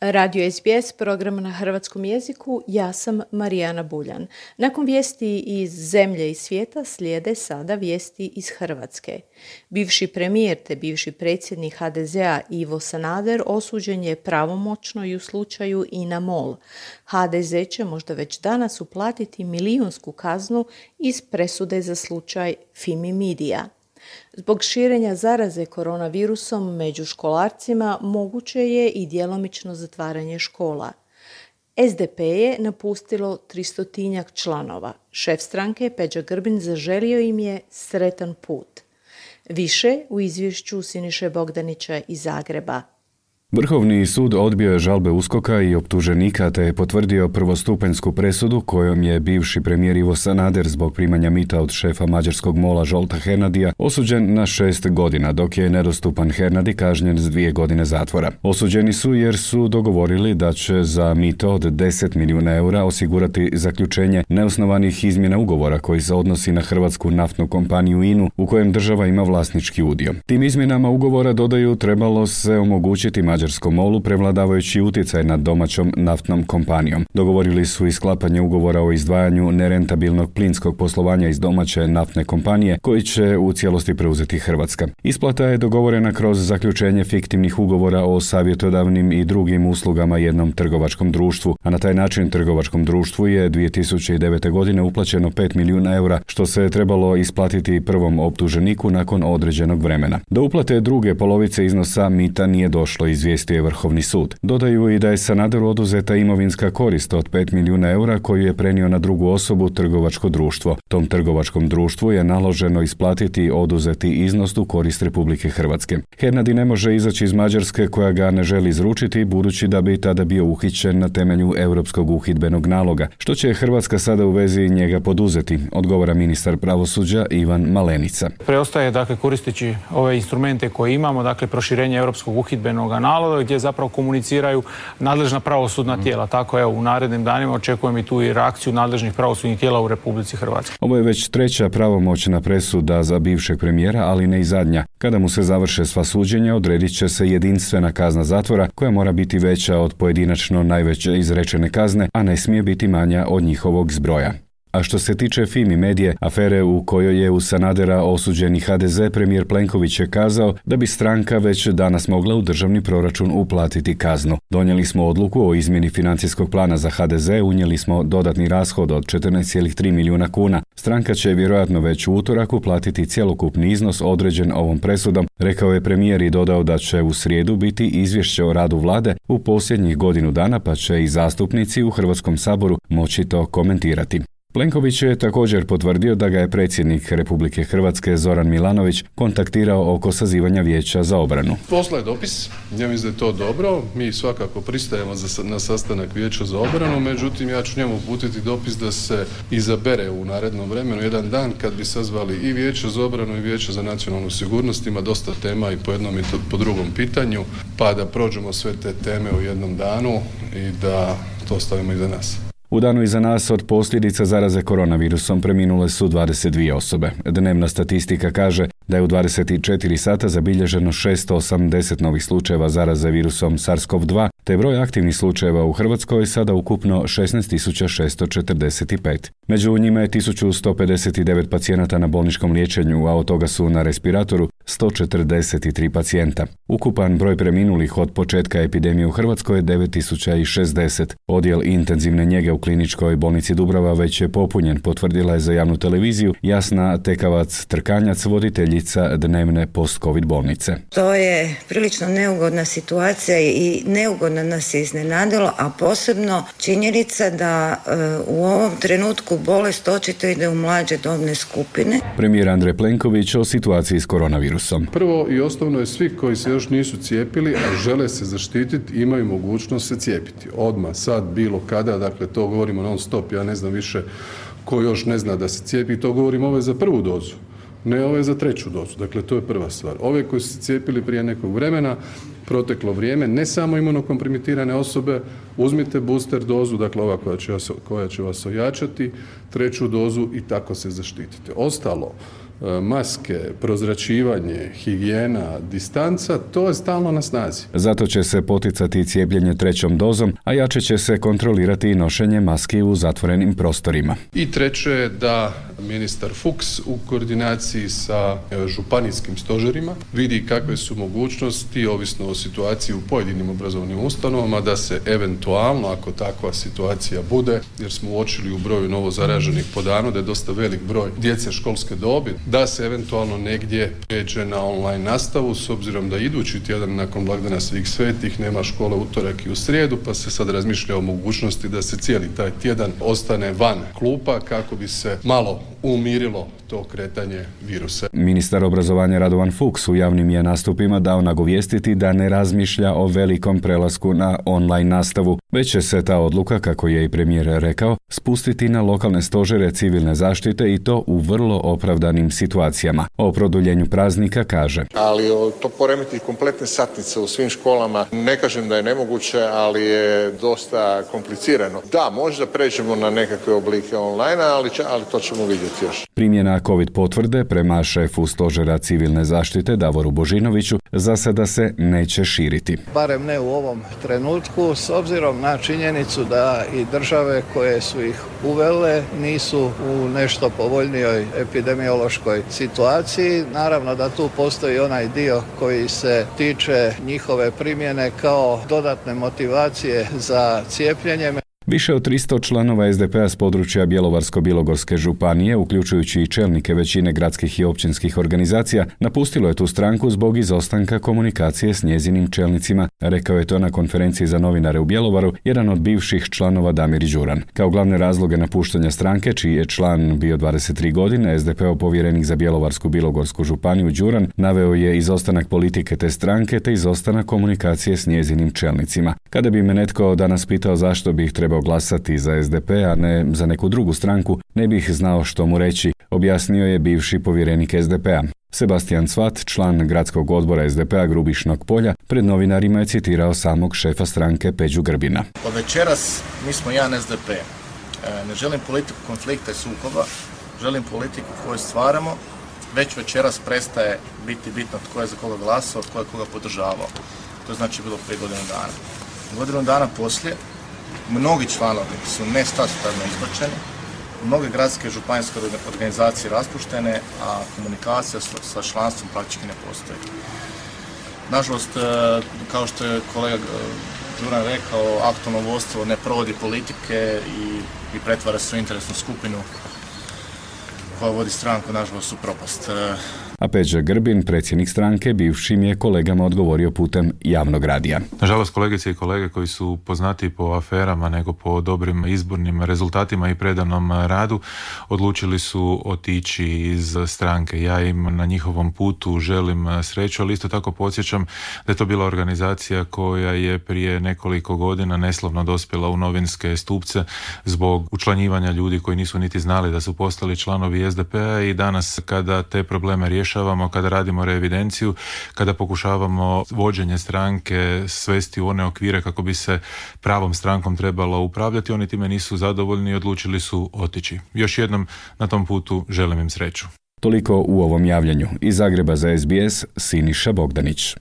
Radio SBS, program na hrvatskom jeziku, ja sam Marijana Buljan. Nakon vijesti iz zemlje i svijeta slijede sada vijesti iz Hrvatske. Bivši premijer te bivši predsjednik HDZ-a Ivo Sanader osuđen je pravomoćno i u slučaju INA MOL. HDZ će možda već danas uplatiti milijunsku kaznu iz presude za slučaj Fimi Media. Zbog širenja zaraze koronavirusom među školarcima moguće je i djelomično zatvaranje škola. SDP je napustilo 300-tinjak članova. Šef stranke Peđa Grbin zaželio im je sretan put. Više u izvješću Siniše Bogdanića iz Zagreba. Vrhovni sud odbio je žalbe USKOK-a i optuženika te je potvrdio prvostupanjsku presudu kojom je bivši premijer Ivo Sanader zbog primanja mita od šefa mađarskog MOL-a Zsolta Hernadija osuđen na 6 godina, dok je nedostupan Hernadi kažnjen s 2 godine zatvora. Osuđeni su jer su dogovorili da će za mito od 10 milijuna eura osigurati zaključenje neosnovanih izmjena ugovora koji se odnosi na hrvatsku naftnu kompaniju INA-u u kojem država ima vlasnički udio. Tim izmjenama ugovora, dodaju, trebalo se omogućiti mađarskom MOL-u prevladavajući utjecaj nad domaćom naftnom kompanijom. Dogovorili su i sklapanje ugovora o izdvajanju nerentabilnog plinskog poslovanja iz domaće naftne kompanije koji će u cijelosti preuzeti Hrvatska. Isplata je dogovorena kroz zaključenje fiktivnih ugovora o savjetodavnim i drugim uslugama jednom trgovačkom društvu, a na taj način trgovačkom društvu je 2009. godine uplaćeno 5 milijuna eura, što se trebalo isplatiti prvom optuženiku nakon određenog vremena. Do uplate druge polovice iznosa mita nije došlo, izvijestio je Vrhovni sud. Dodaju i da je Sanaderu oduzeta imovinska korist od 5 milijuna eura koju je prenio na drugu osobu trgovačko društvo. Tom trgovačkom društvu je naloženo isplatiti oduzeti iznos u korist Republike Hrvatske. Hernadi ne može izaći iz Mađarske koja ga ne želi izručiti, budući da bi tada bio uhićen na temelju Europskog uhidbenog naloga. Što će Hrvatska sada u vezi njega poduzeti, odgovara ministar pravosuđa Ivan Malenica. Preostaje koristeći ove instrumente koje imamo, proširenje Europskog uhidbenog naloga gdje zapravo komuniciraju nadležna pravosudna tijela. Tako u narednim danima očekujem i tu i reakciju nadležnih pravosudnih tijela u Republici Hrvatskoj. Ovo je već 3. pravomoćna presuda za bivšeg premijera, ali ne i zadnja. Kada mu se završe sva suđenja, odredit će se jedinstvena kazna zatvora koja mora biti veća od pojedinačno najveće izrečene kazne, a ne smije biti manja od njihovog zbroja. A što se tiče Fimi Medije, afere u kojoj je u Sanadera osuđeni HDZ, premijer Plenković je kazao da bi stranka već danas mogla u državni proračun uplatiti kaznu. Donijeli smo odluku o izmjeni financijskog plana za HDZ, unijeli smo dodatni rashod od 14,3 milijuna kuna. Stranka će vjerojatno već u utorak uplatiti cjelokupni iznos određen ovom presudom, rekao je premijer i dodao da će u srijedu biti izvješće o radu vlade u posljednjih godinu dana, pa će i zastupnici u Hrvatskom saboru moći to komentirati. Plenković je također potvrdio da ga je predsjednik Republike Hrvatske Zoran Milanović kontaktirao oko sazivanja vijeća za obranu. Poslao je dopis, ja mislim da je to dobro, mi svakako pristajemo na sastanak vijeća za obranu, međutim ja ću njemu uputiti dopis da se izabere u narednom vremenu jedan dan kad bi sazvali i vijeće za obranu i vijeće za nacionalnu sigurnost, ima dosta tema i po jednom i po drugom pitanju, pa da prođemo sve te teme u jednom danu i da to stavimo iza nas. U danu iza nas od posljedica zaraze koronavirusom preminule su 22 osobe. Dnevna statistika kaže da je u 24 sata zabilježeno 680 novih slučajeva zaraze virusom SARS-CoV-2, te broj aktivnih slučajeva u Hrvatskoj sada ukupno 16.645. Među njima je 1159 pacijenata na bolničkom liječenju, a od toga su na respiratoru 143 pacijenta. Ukupan broj preminulih od početka epidemije u Hrvatskoj je 9060. Odjel intenzivne njege u kliničkoj bolnici Dubrava već je popunjen, potvrdila je za javnu televiziju Jasna Tekavac-Trkanjac, voditeljica dnevne post-covid bolnice. To je prilično neugodna situacija i neugodno nas je iznenadilo, a posebno činjenica da u ovom trenutku bolest očito ide u mlađe dobne skupine. Premijer Andrej Plenković o situaciji s koronavirusom. Prvo i osnovno je svi koji se još nisu cijepili, a žele se zaštititi, imaju mogućnost se cijepiti. Odmah, sad, bilo kada, to govorimo non stop, ja ne znam više ko još ne zna da se cijepi, to govorimo ove za prvu dozu. Ne ove za treću dozu, to je prva stvar. Ove koji su se cijepili prije nekog vremena, proteklo vrijeme, ne samo imunokompromitirane osobe, uzmite booster dozu, ova koja će vas ojačati, treću dozu i tako se zaštitite. Ostalo, maske, prozračivanje, higijena, distanca, to je stalno na snazi. Zato će se poticati cijepljenje 3. dozom, a jače će se kontrolirati i nošenje maski u zatvorenim prostorima. I treće je da ministar Fuchs u koordinaciji sa županijskim stožerima vidi kakve su mogućnosti, ovisno o situaciji u pojedinim obrazovnim ustanovama, da se eventualno, ako takva situacija bude, jer smo uočili u broju novo zaraženih po danu da je dosta velik broj djece školske dobi, da se eventualno negdje pređe na online nastavu, s obzirom da idući tjedan nakon blagdana Svih svetih nema škole utorak i u srijedu, pa se sad razmišlja o mogućnosti da se cijeli taj tjedan ostane van klupa kako bi se malo umirilo to kretanje virusa. Ministar obrazovanja Radovan Fuchs u javnim je nastupima dao nagovijestiti da ne razmišlja o velikom prelasku na online nastavu, već će se ta odluka, kako je i premijer rekao, spustiti na lokalne stožere civilne zaštite i to u vrlo opravdanim situacijama. O produljenju praznika kaže: ali to poremeti kompletne satnice u svim školama. Ne kažem da je nemoguće, ali je dosta komplicirano. Da, možda pređemo na nekakve oblike online, ali to ćemo vidjeti još. Primjena COVID potvrde prema šefu stožera civilne zaštite Davoru Božinoviću za sada se neće širiti. Barem ne u ovom trenutku, s obzirom na činjenicu da i države koje su ih uvele nisu u nešto povoljnijoj epidemiološkoj situaciji. Naravno da tu postoji onaj dio koji se tiče njihove primjene kao dodatne motivacije za cijepljenje. Više od 300 članova SDP-a s područja Bjelovarsko-bilogorske županije, uključujući i čelnike većine gradskih i općinskih organizacija, napustilo je tu stranku zbog izostanka komunikacije s njezinim čelnicima, rekao je to na konferenciji za novinare u Bjelovaru jedan od bivših članova Damir Đuran. Kao glavne razloge napuštanja stranke, čiji je član bio 23 godine, SDP-ov povjerenik za Bjelovarsku-bilogorsku županiju Đuran naveo je izostanak politike te stranke te izostanak komunikacije s njezinim čelnicima. Kada bi me netko danas pitao zašto bih trebao glasati za SDP, a ne za neku drugu stranku, ne bih znao što mu reći, objasnio je bivši povjerenik SDP-a. Sebastian Cvat, član gradskog odbora SDP-a Grubišnog polja, pred novinarima je citirao samog šefa stranke Peđu Grbina. Od večeras mi smo jedan SDP. Ne želim politiku konflikta i sukoba, želim politiku koju stvaramo. Već večeras prestaje biti bitno tko je za koga glasao, tko je koga podržavao. To znači bilo prije godinu dana. Godinu dana poslije mnogi članovi su nestatutarno izbačeni, mnoge gradske i županijske organizacije raspuštene, a komunikacija sa članstvom praktički ne postoji. Nažalost, kao što je kolega Đuran rekao, aktualno vodstvo ne provodi politike i pretvara se u interesnu skupinu koja vodi stranku, nažalost, u propast. A Peđa Grbin, predsjednik stranke, bivšim je kolegama odgovorio putem javnog radija. Nažalost, kolegice i kolege koji su poznati po aferama nego po dobrim izbornim rezultatima i predanom radu, odlučili su otići iz stranke. Ja im na njihovom putu želim sreću, ali isto tako podsjećam da je to bila organizacija koja je prije nekoliko godina neslavno dospjela u novinske stupce zbog učlanjivanja ljudi koji nisu niti znali da su postali članovi SDP-a i danas kada te probleme rješavamo, kada radimo reevidenciju, kada pokušavamo vođenje stranke svesti u one okvire kako bi se pravom strankom trebalo upravljati, oni time nisu zadovoljni i odlučili su otići. Još jednom na tom putu želim im sreću. Toliko u ovom javljanju. Iz Zagreba za SBS, Siniša Bogdanić.